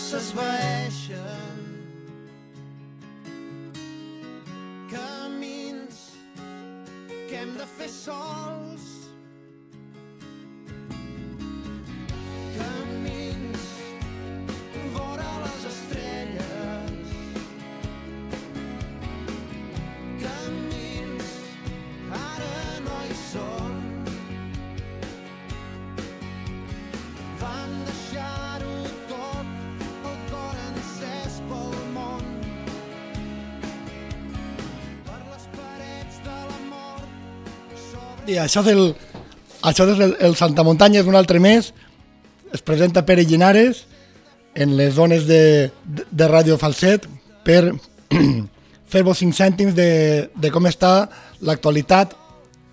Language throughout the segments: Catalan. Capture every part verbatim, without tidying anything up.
s'esvaeixen, camins que hem de fer sols, camins vora les estrelles, camins ara no hi són, van deixar-ho tot, el cor encès pel món, per les parets de la mort sobre... I això és el, això és el, el Santa Muntanya, és un altre mes. Es presenta Pere Llinares en les zones de, de, de Ràdio Falset per fer-vos cinc cèntims de, de com està l'actualitat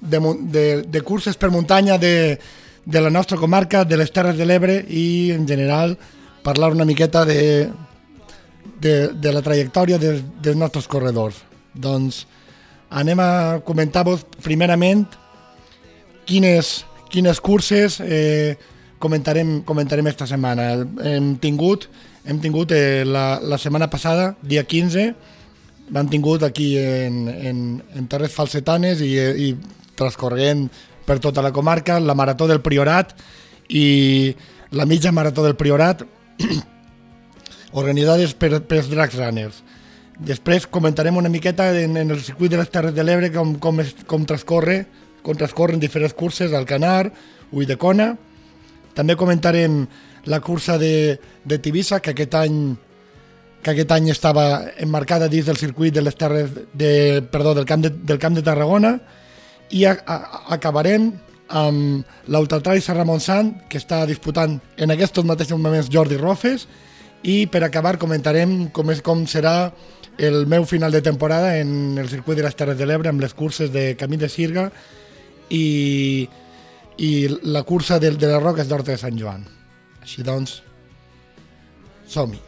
de, de, de curses per muntanya de, de la nostra comarca, de les Terres de l'Ebre i, en general, parlar una miqueta de, de, de la trajectòria de, dels nostres corredors. Doncs anem a comentar-vos primerament quines, quines curses eh, comentarem, comentarem esta setmana. Hem tingut, hem tingut eh, la, la setmana passada, dia quinze, l'han tingut aquí en, en, en Terres Falsetanes i, i transcorrent per tota la comarca, la Marató del Priorat i la mitja Marató del Priorat, organitzades per, per els Dracs Runners. Després comentarem una miqueta en, en el circuit de les Terres de l'Ebre com, com, es, com, transcorre, com transcorren diferents curses, Alcanar, Ulldecona. També comentarem la cursa de, de Tivissa, que aquest any que aquest any estava emmarcada dins del circuit de les terres de, perdó, del, camp de, del Camp de Tarragona, i a, a, acabarem amb l'Ultratrail Serra Montsant, que està disputant en aquests mateixos moments Jordi Rofes, i per acabar comentarem com, és, com serà el meu final de temporada en el circuit de les Terres de l'Ebre amb les curses de Camí de Sirga i, i la cursa de, de les Roques d'Horta de Sant Joan. Així doncs, som-hi.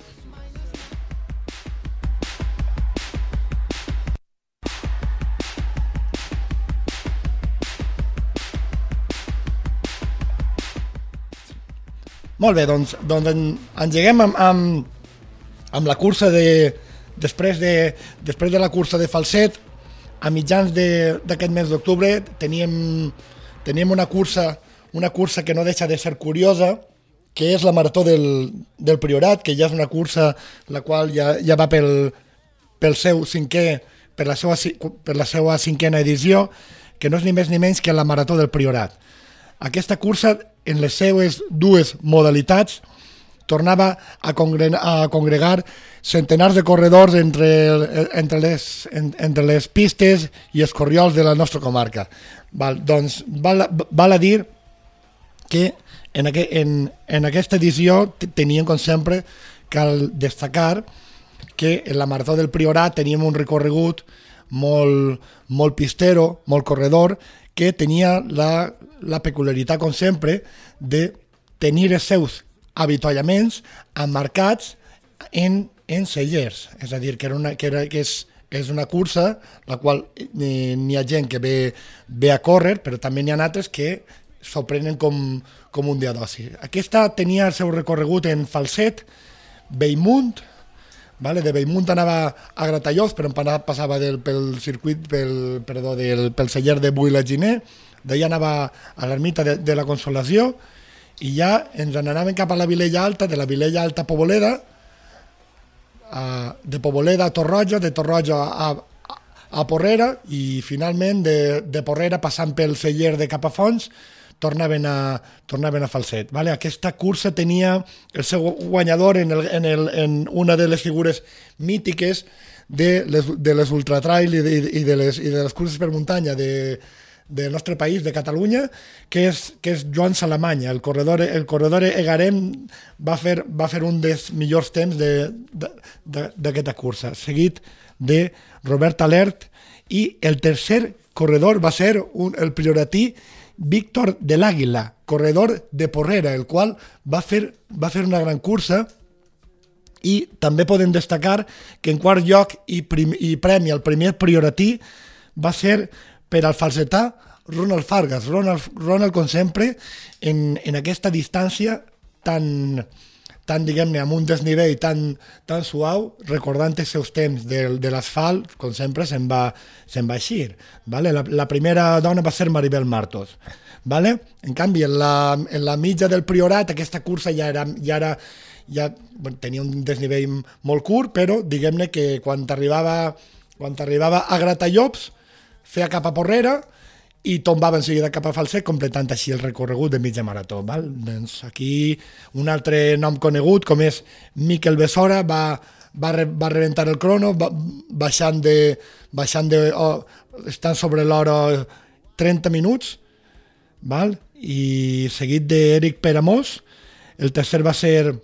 Molt bé, doncs, doncs en, engeguem amb, amb, amb la cursa de... Després de, després de la cursa de Falset, a mitjans d'aquest mes d'octubre, teníem, teníem una cursa, una cursa que no deixa de ser curiosa, que és la Marató del, del Priorat, que ja és una cursa la qual ja, ja va pel, pel seu cinquè, per la seva, per la seva cinquena edició, que no és ni més ni menys que la Marató del Priorat. Aquesta cursa, en les seues dues modalitats, tornava a, congre a congregar centenars de corredors entre, entre, les, entre les pistes i els corriols de la nostra comarca. Val, doncs val, val a dir que en, aqu en, en aquesta edició teníem, com sempre, cal destacar que en la Marató del Priorat teníem un recorregut molt, molt pistero, molt corredor, que tenia la, la peculiaritat, com sempre, de tenir els seus avituallaments emmarcats en, en cellers. És a dir, que, era una, que, era, que és, és una cursa la qual n'hi ha gent que ve, ve a córrer, però també n'hi ha altres que s'ho prenen com, com un dia d'oci. Aquesta tenia el seu recorregut en Falset, Bellmunt, vale? De Bellmunt anava a Gratallols, però passava del, pel circuit, pel, perdó, del, pel celler de Builaginé, d'allà anava a l'ermita de, de la Consolació, i ja ens n'anàvem cap a la Vilella Alta, de la Vilella Alta a Poboleda, a, de Poboleda a Torroja, de Torroja a, a, a Porrera, i finalment de, de Porrera, passant pel celler de Capafons, tornaven a, tornaven a Falset. Vale? Aquesta cursa tenia el seu guanyador en, el, en, el, en una de les figures mítiques de les, de les ultratrail i de, i, de les, i de les curses per muntanya de, del nostre país, de Catalunya, que és, que és Joan Salamanya. El corredor, el corredor egarem va fer, va fer un dels millors temps d'aquesta cursa, seguit de Robert Alert, i el tercer corredor va ser un, el prioratí Víctor de l'Àguila, corredor de Porrera, el qual va fer, va fer una gran cursa, i també podem destacar que en quart lloc i, prim, i premi al primer prioratí va ser per al falsetà Ronald Fargas. Ronald, Ronald com sempre, en, en aquesta distància tan, tan diguem-ne, amb un desnivell tan, tan suau, recordant els seus temps de, de l'asfalt, com sempre, se'n va, se'n va eixir. Vale? La, la primera dona va ser Maribel Martos. Vale? En canvi, en la, en la mitja del Priorat, aquesta cursa ja era, ja era ja, bueno, tenia un desnivell molt curt, però diguem-ne que quan t'arribava quan t'arribava a Gratallops, feia cap a Porrera, i tombava en seguida cap a Falset, completant així el recorregut de mitja marató. Val? Doncs aquí un altre nom conegut, com és Miquel Besora, va, va, re, va rebentar el crono, va, baixant de... Baixant de oh, estan sobre l'hora trenta minuts, val? I seguit d'Eric Peramós. El tercer va ser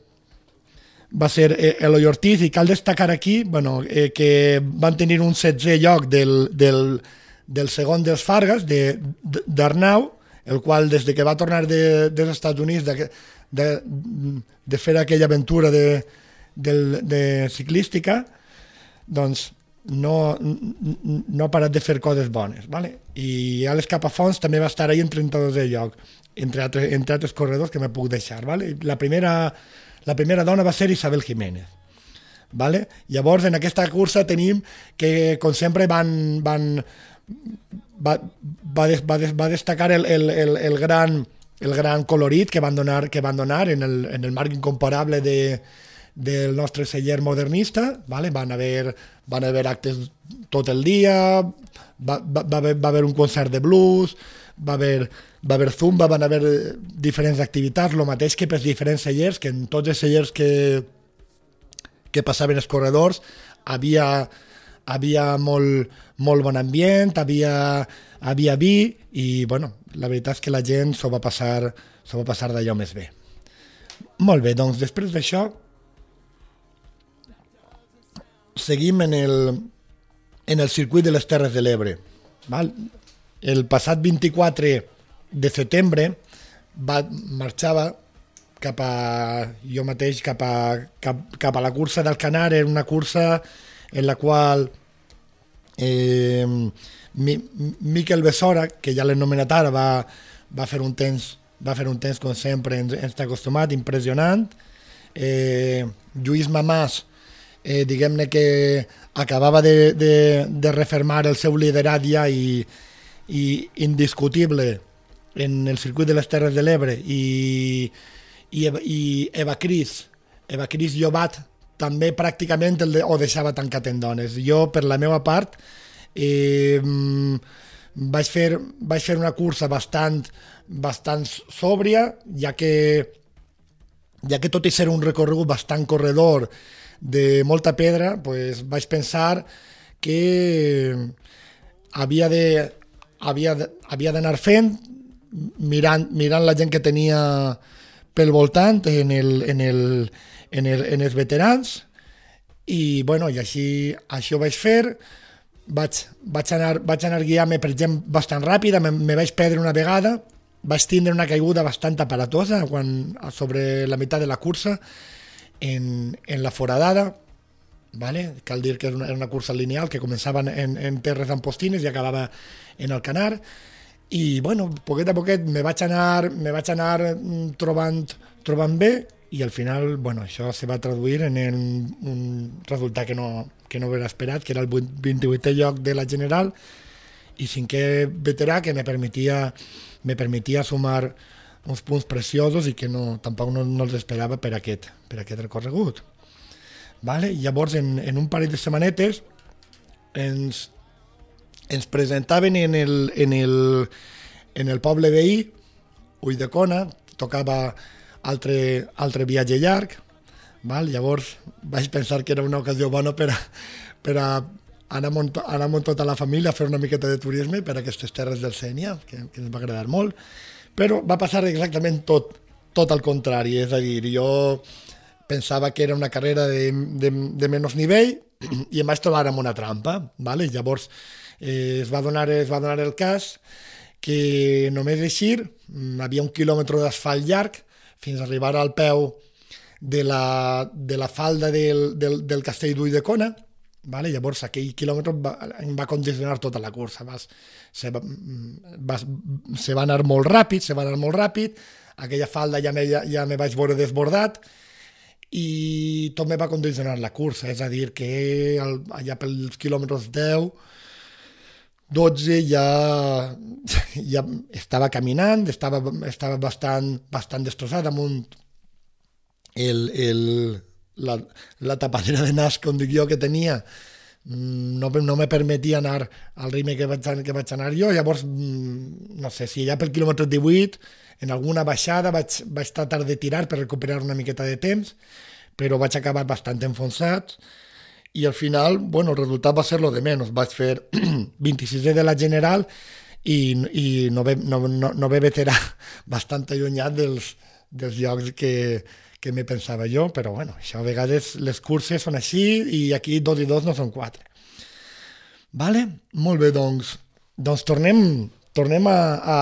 va ser Eloi Ortiz, i cal destacar aquí bueno, eh, que van tenir un setzè lloc del, del del segon dels Fargas, d'Arnau, el qual des de que va tornar de, dels Estats Units de, de, de fer aquella aventura de, de, de ciclística, doncs no, no ha parat de fer coses bones. Vale? I Àlex Capafons també va estar ahí en trenta-dosè lloc, entre altres, entre altres corredors que me puc deixar. Vale? La, primera, la primera dona va ser Isabel Jiménez. Vale? Llavors, en aquesta cursa tenim que, com sempre, van... van Va, va, des, va, des, va destacar el, el, el, el, gran, el gran colorit que van donar, que van donar en, el, en el marc incomparable de, del nostre celler modernista. Vale? Van, haver, van haver actes tot el dia, va, va, va, haver, va haver un concert de blues, va haver, va haver zumba, van haver diferents activitats, el mateix que pels diferents cellers, que en tots els cellers que, que passaven els corredors havia... havia molt, molt bon ambient, havia, havia vi i, bueno, la veritat és que la gent s'ho va passar, s'ho va passar d'allò més bé. Molt bé, doncs després d'això seguim en el, en el circuit de les Terres de l'Ebre. Val? El passat vint-i-quatre de setembre va, marxava cap a, jo mateix cap a, cap, cap a la cursa d'Alcanar. Era una cursa en la qual eh, Mi, Miquel Besora, que ja l'he nomenat ara, va, va fer un temps, va fer un temps com sempre, ens, ens està acostumat, impressionant. Eh, Lluís Mamàs, eh, diguem-ne que acabava de, de, de refermar el seu liderat ja i, i indiscutible en el circuit de les Terres de l'Ebre, i, i, i Eva Cris, Eva Cris Llobat, també pràcticament el de, o deixava tancar tendones. Jo, per la meva part, eh, vaig, fer, vaig fer una cursa bastant, bastant sòbria, ja que, ja que tot i ser un recorregut bastant corredor de molta pedra, pues, vaig pensar que havia de havia, havia d'anar fent, mirant, mirant la gent que tenia pel voltant en el, en el En, el, en els veterans, i, bueno, i així, així ho vaig fer. Vaig, vaig anar, vaig anar guiant-me per gent bastant ràpida, me, me vaig perdre una vegada, vaig tindre una caiguda bastant aparatosa quan, sobre la meitat de la cursa en, en la foradada. Vale? Cal dir que era una, era una cursa lineal que començava en, en terres ampostines i acabava en Alcanar, i, bueno, poquet a poquet me vaig anar, me vaig anar trobant, trobant bé, i al final, bueno, això se va traduir en el, un resultat que no, que no era esperat, que era el vint-i-vuitè lloc de la general i cinquè veterà, que me permetia, me permetia sumar uns punts preciosos i que no, tampoc no, no els esperava per aquest, per aquest recorregut. Vale? Llavors, en, en un parell de setmanetes ens, ens presentaven en el, en el, en el poble veí, Ulldecona, tocava altre, altre viatge llarg, val? Llavors vaig pensar que era una ocasió bona per a, per a anar, amb, anar amb tota la família a fer una miqueta de turisme per a aquestes terres del Sénia, que, que ens va agradar molt, però va passar exactament tot, tot al contrari, és a dir, jo pensava que era una carrera de, de, de menys nivell i em vaig trobar amb una trampa, vale? Llavors eh, es, va donar, es va donar el cas que només eixir, havia un quilòmetre d'asfalt llarg fins a arribar al peu de la, de la falda del, del, del castell d'Ulldecona, vale? Llavors aquell quilòmetre va, em va condicionar tota la cursa, vas, se, va, vas, se va anar molt ràpid, se va anar molt ràpid, aquella falda ja me, ja, ja me vaig veure desbordat, i tot me va condicionar la cursa, és a dir, que el, allà pels quilòmetres deu, dotze ja, ja estava caminant, estava, estava bastant, bastant destrossat amunt el, el, la, la tapadera de nas, com dic jo, que tenia, no, no me permetia anar al ritme que vaig, que vaig anar jo. Llavors, no sé, si ja pel quilòmetre divuit, en alguna baixada vaig, vaig tratar de tirar per recuperar una miqueta de temps, però vaig acabar bastant enfonsat i al final, bueno, el resultat va ser lo de menys. Vaig fer vint-i-sisè de la general i, i no, ve, no, no, no ve veterà bastant allunyat dels, dels llocs que, que me pensava jo, però bueno, això a vegades les curses són així i aquí dos i dos no són quatre. Vale? Molt bé, doncs, doncs tornem, tornem a, a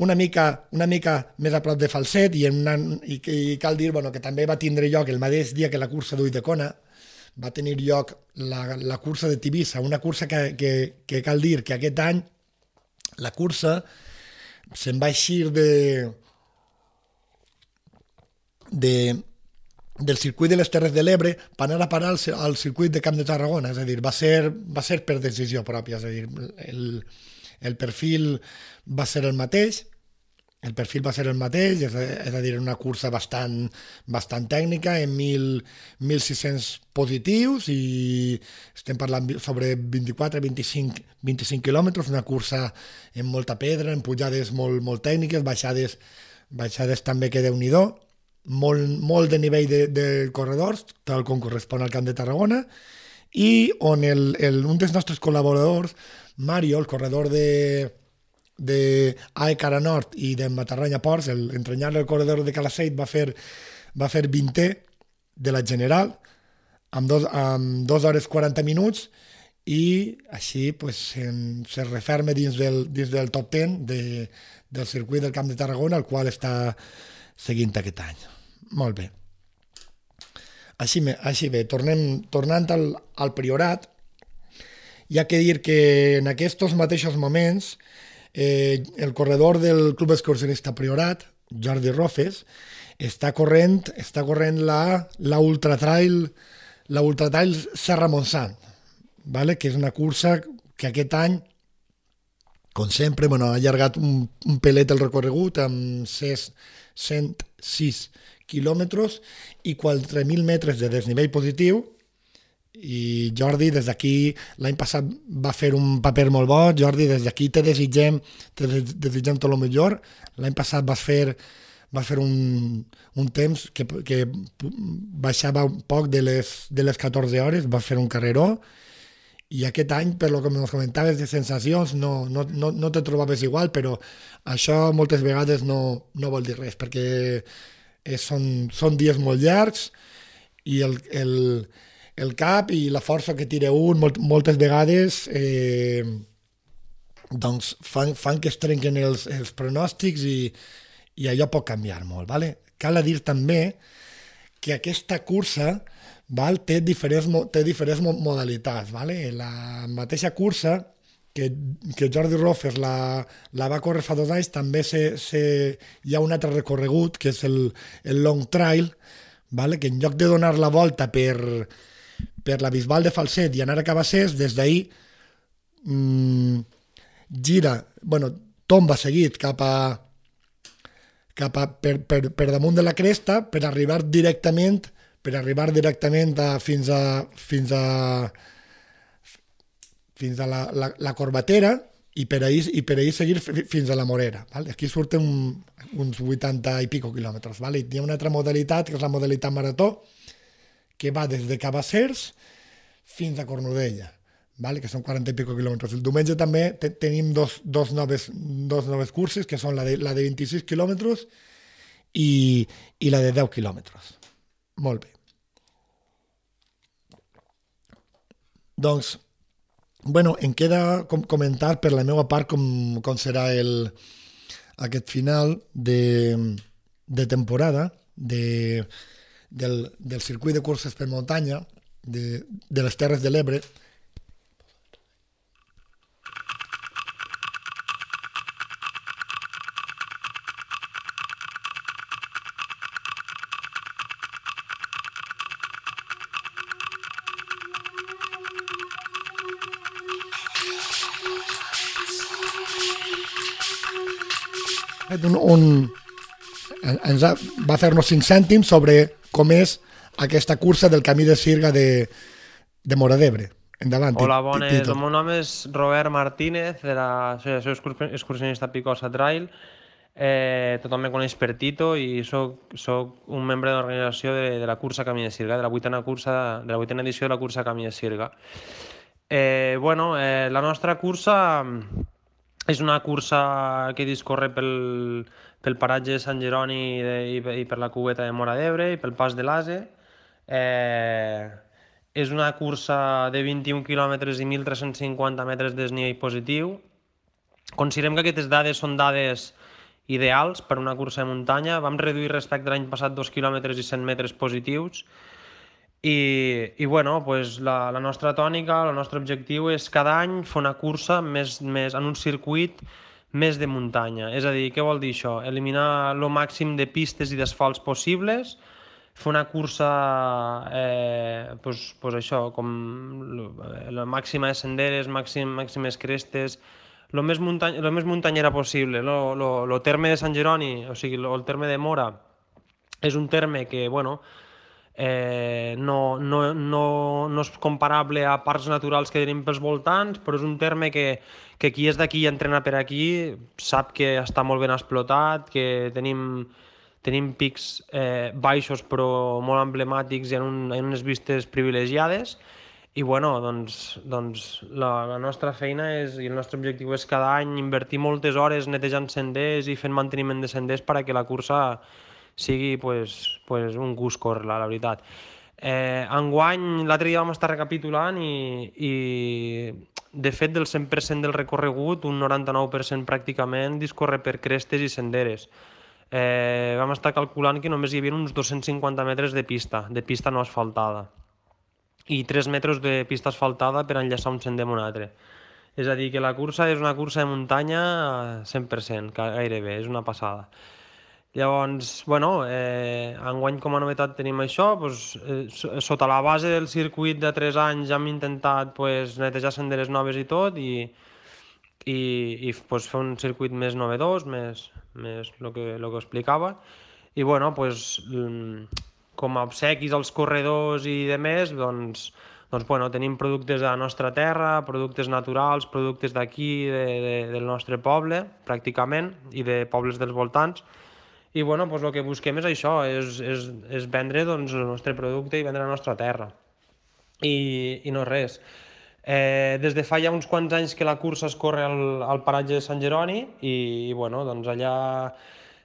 una mica, una mica més a prop de Falset i, en una, i, i cal dir bueno, que també va tindre lloc el mateix dia que la cursa d'Ulldecona, va tenir lloc la, la cursa de Tivissa, una cursa que, que, que cal dir que aquest any la cursa se'n va eixir de, de, del circuit de les Terres de l'Ebre per anar a parar al, al circuit de Camp de Tarragona, és a dir, va ser, va ser per decisió pròpia, és a dir, el, el perfil va ser el mateix, el perfil va ser el mateix, és a, és a dir, una cursa bastant, bastant tècnica, en mil sis-cents positius i estem parlant sobre vint-i-quatre a vint-i-cinc, vint-i-cinc quilòmetres, una cursa amb molta pedra, amb pujades molt, molt tècniques, baixades, baixades també que Déu-n'hi-do, molt, molt de nivell de, de corredors, tal com correspon al Camp de Tarragona, i on el, el, un dels nostres col·laboradors, Mario, el corredor de de A E Cara Nord i de Matarranya Ports, el entranyable el corredor de Calaceit va fer, va fer vintè de la general amb dos, amb dos hores quaranta minuts i així pues, en, se referma dins del, dins del top deu de, del circuit del Camp de Tarragona, el qual està seguint aquest any. Molt bé. Així, així bé, tornem, tornant al, al Priorat, hi ha que dir que en aquests mateixos moments Eh, el corredor del Club Excursionista Priorat, Jordi Rofes, està corrent, està corrent la, la Ultra Trail, la Ultra Trail Serra Montsant, ¿vale? Que és una cursa que aquest any, com sempre, bueno, ha allargat un, un pelet el recorregut amb cent sis quilòmetres i quatre mil metres de desnivell positiu. I Jordi, des d'aquí, l'any passat va fer un paper molt bo. Jordi, des d'aquí te desitgem, te desitgem tot el millor. L'any passat vas fer, vas fer un, un temps que, que baixava un poc de les, de les catorze hores, vas fer un carreró, i aquest any, per lo que ens comentaves de sensacions, no, no, no, no te trobaves igual, però això moltes vegades no, no vol dir res, perquè és, són, són dies molt llargs i el, el el cap i la força que tira un molt, moltes vegades eh, doncs fan, fan que es trenquen els, els pronòstics i, i allò pot canviar molt. Vale? Cal dir també que aquesta cursa val, té diferents, té diferents modalitats. Vale? La mateixa cursa que, que Jordi Rofes la, la va córrer fa dos anys, també se, se, hi ha un altre recorregut que és el, el Long Trail, vale? Que en lloc de donar la volta per per la Bisbal de Falset i anar a Cabassers, des d'ahir mmm, gira, bueno, tomba seguit cap a, cap a per, per, per damunt de la cresta per arribar directament per arribar directament a, fins a fins a fins a la, la, la Corbatera i per ahir, i per ahir seguir fins a la Morera. Vale? Aquí surten un, uns vuitanta i pico quilòmetres. Vale? Hi ha una altra modalitat, que és la modalitat marató, que va des de Cabassers fins a Cornudella, vale? Que són quaranta i pico quilòmetres. El diumenge també te tenim dos, dos, noves, dos noves curses, que són la de, la de vint-i-sis quilòmetres i, i la de deu quilòmetres. Molt bé. Doncs, bueno, em queda com comentar per la meva part com, com serà el, aquest final de, de temporada de Del, del circuit de curses per muntanya de, de les Terres de l'Ebre. fet un, un, ens ha, va fer-nos cinc cèntims sobre com és aquesta cursa del Camí de Sirga de, de Móra d'Ebre. Endavant, Hola, bones. Tito. El meu nom és Robert Martínez, de la Associació Excursionista Picosa Trail. Eh, tothom me coneix per Tito i soc, soc un membre de l'organització de, de la cursa Camí de Sirga, de la vuitena, cursa, de la vuitena edició de la cursa Camí de Sirga. Eh, bueno, eh, la nostra cursa és una cursa que discorre pel, pel paratge de Sant Jeroni de, i, i per la cubeta de Móra d'Ebre i pel pas de l'Ase. Eh, és una cursa de vint-i-un quilòmetres i mil tres-cents cinquanta metres de desnivell positiu. Considerem que aquestes dades són dades ideals per una cursa de muntanya. Vam reduir respecte a l'any passat dos quilòmetres i cent metres positius i, i bueno, pues la, la nostra tònica, el nostre objectiu és cada any fer una cursa més, més, en un circuit més de muntanya. És a dir, què vol dir això? Eliminar el màxim de pistes i d'asfalts possibles, fer una cursa eh, pues, pues això, com la màxima de senderes, màxim, màximes crestes, el més, muntany, lo més muntanyera possible. El terme de Sant Jeroni, o sigui, lo, el terme de Móra, és un terme que, bueno, eh, no, no, no, no és comparable a parcs naturals que tenim pels voltants, però és un terme que, que qui és d'aquí i entrena per aquí sap que està molt ben explotat, que tenim, tenim pics eh, baixos però molt emblemàtics i en, un, en unes vistes privilegiades. I bueno, doncs, doncs la, la nostra feina és, i el nostre objectiu és cada any invertir moltes hores netejant senders i fent manteniment de senders perquè la cursa sigui pues, pues un gust córrer-la, la veritat. Eh, enguany, l'altre dia vam estar recapitulant i, i de fet del cent per cent del recorregut, un noranta-nou per cent pràcticament discorre per crestes i senderes. Eh, vam estar calculant que només hi havia uns dos-cents cinquanta metres de pista, de pista no asfaltada, i tres metres de pista asfaltada per enllaçar un sender amb un altre. És a dir, que la cursa és una cursa de muntanya cent per cent, gairebé, és una passada. Llavors, bueno, eh, enguany com a novetat tenim això, doncs, eh, sota la base del circuit de tres anys hem intentat pues, netejar senderes noves i tot, i, i, i pues, fer un circuit més novedós, més, més el que, lo que explicava, i bueno, pues, com a obsequis als corredors i de més, doncs, doncs bueno, tenim productes de la nostra terra, productes naturals, productes d'aquí, de, de, del nostre poble, pràcticament, i de pobles dels voltants. I bueno, doncs el que busquem és això, és, és, és vendre doncs, el nostre producte i vendre la nostra terra. I, i no res. Eh, des de fa ja uns quants anys que la cursa es corre al, al paratge de Sant Jeroni i, i bueno, doncs allà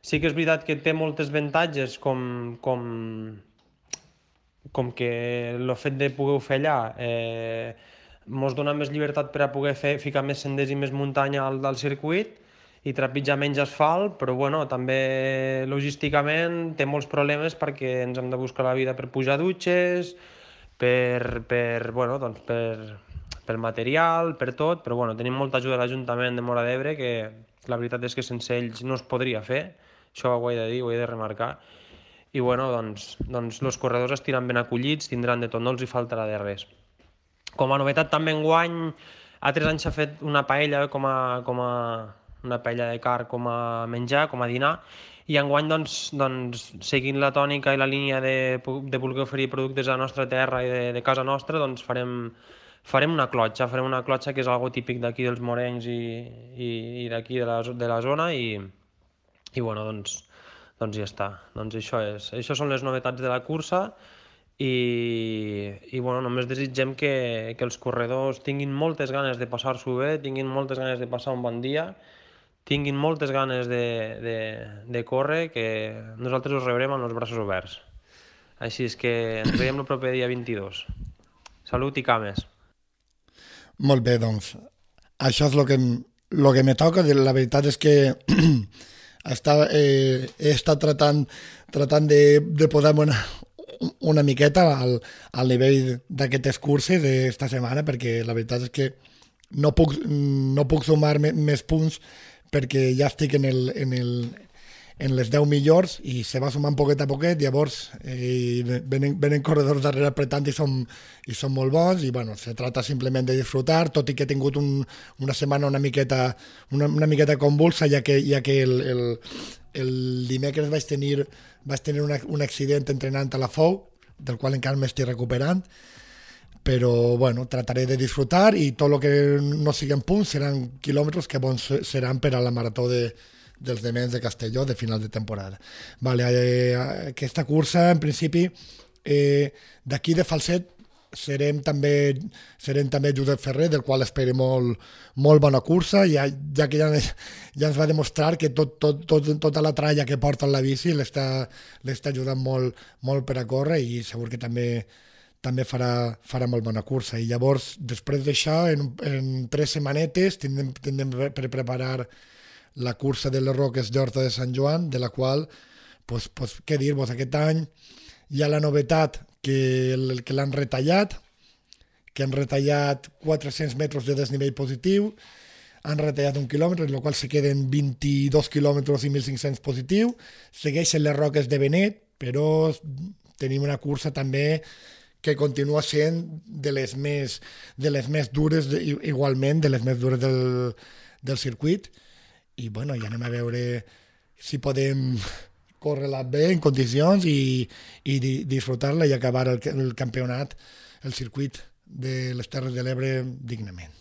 sí que és veritat que té moltes avantatges com, com, com que el fet de poder fer allà eh, ens dona més llibertat per a poder fer, ficar més senders i més muntanya al, al circuit i trepitjar menys asfalt, però bueno, també logísticament té molts problemes perquè ens hem de buscar la vida per pujar dutxes, per, per, bueno, doncs per, per material, per tot, però bueno, tenim molta ajuda de l'Ajuntament de Móra d'Ebre que la veritat és que sense ells no es podria fer. Això ho he de dir, ho he de remarcar. I bueno, doncs, doncs els corredors estiran ben acollits, tindran de tot, no els hi faltarà de res. Com a novetat també enguany, altres anys s'ha fet una paella com a, com a una paella de carn com a menjar, com a dinar, i enguany doncs, doncs, seguint la tònica i la línia de, de voler oferir productes a la nostra terra i de, de casa nostra, doncs farem, farem una clotxa, farem una clotxa que és algo típic d'aquí dels morencs i, i, i d'aquí de la, de la zona, i i bueno, doncs, doncs ja està. Doncs això és. Això són les novetats de la cursa i, i bueno, només desitgem que, que els corredors tinguin moltes ganes de passar-s'ho bé, tinguin moltes ganes de passar un bon dia, tinguin moltes ganes de, de, de córrer, que nosaltres us rebrem amb els braços oberts. Així és que ens veiem el proper dia vint-i-dos. Salut i cames. Molt bé, doncs. Això és el que, lo que me toca. La veritat és que Està, eh, he estat tratant, tratant de, de posar-me una, una miqueta al, al nivell d'aquestes curses d'esta setmana, perquè la veritat és que no puc, no puc sumar me, més punts perquè ja estic en el, en el, en les deu millors i se va sumant poquet a poquet, llavors eh, venen, venen corredors darrere apretant i són, i són molt bons i bueno, se trata simplement de disfrutar, tot i que he tingut un, una setmana una miqueta, una, una miqueta convulsa, ja que, ja que el, el, el dimecres vaig tenir, vaig tenir una, un accident entrenant a la F O U, del qual encara m'estic recuperant, però bueno, trataré de disfrutar i tot el que no siguin punts seran quilòmetres que bons seran per a la marató de dels dements de Castelló de final de temporada. Vale, eh, aquesta cursa, en principi, eh, d'aquí de Falset serem també, serem també Josep Ferrer, del qual espero molt, molt bona cursa, ja, ja que ja, ja ens va demostrar que tot, tot, tot, tota la tralla que porta en la bici l'està ajudant molt, molt per a córrer i segur que també també farà, farà molt bona cursa. I llavors, després d'això, en, en tres setmanetes tindrem, tindrem per preparar la cursa de les Roques d'Horta de Sant Joan, de la qual, pues, pues, què dir-vos, aquest any hi ha la novetat que, el, que l'han retallat, que han retallat quatre-cents metres de desnivell positiu, han retallat un quilòmetre, en el qual se queden vint-i-dos quilòmetres i mil cinc-cents positiu, segueixen les Roques de Benet, però tenim una cursa també que continua sent de les més, de les més dures, igualment, de les més dures del, del circuit, i bueno, ja anem a veure si podem córrer-la bé en condicions i, i disfrutar-la i acabar el, el campionat, el circuit de les Terres de l'Ebre dignament.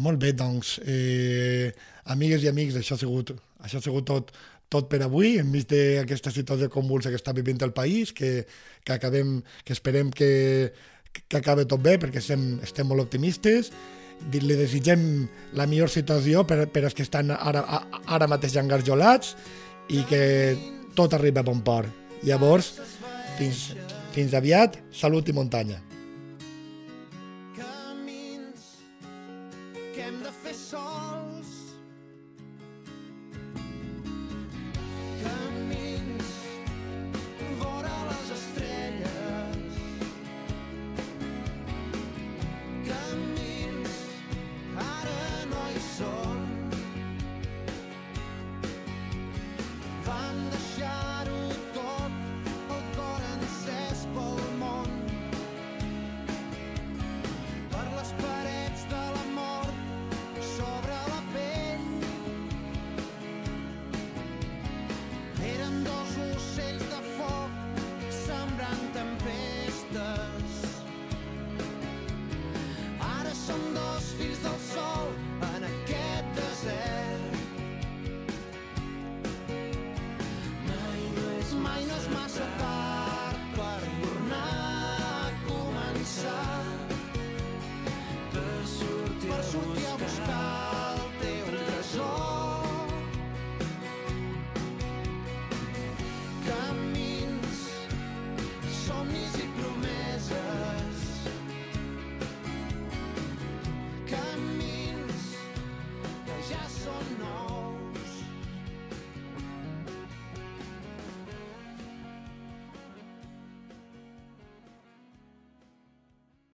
Molt bé, doncs, eh, amigues i amics, això ha sigut, això ha sigut tot, tot per avui, enmig d'aquesta situació convulsa que està vivint el país, que, que, acabem, que esperem que, que acabi tot bé, perquè estem, estem molt optimistes. Li desitgem la millor situació per, per als que estan ara, ara mateix engarjolats i que tot arriba a bon port. Llavors, fins, fins aviat, salut i muntanya. Camins que hem de fer sols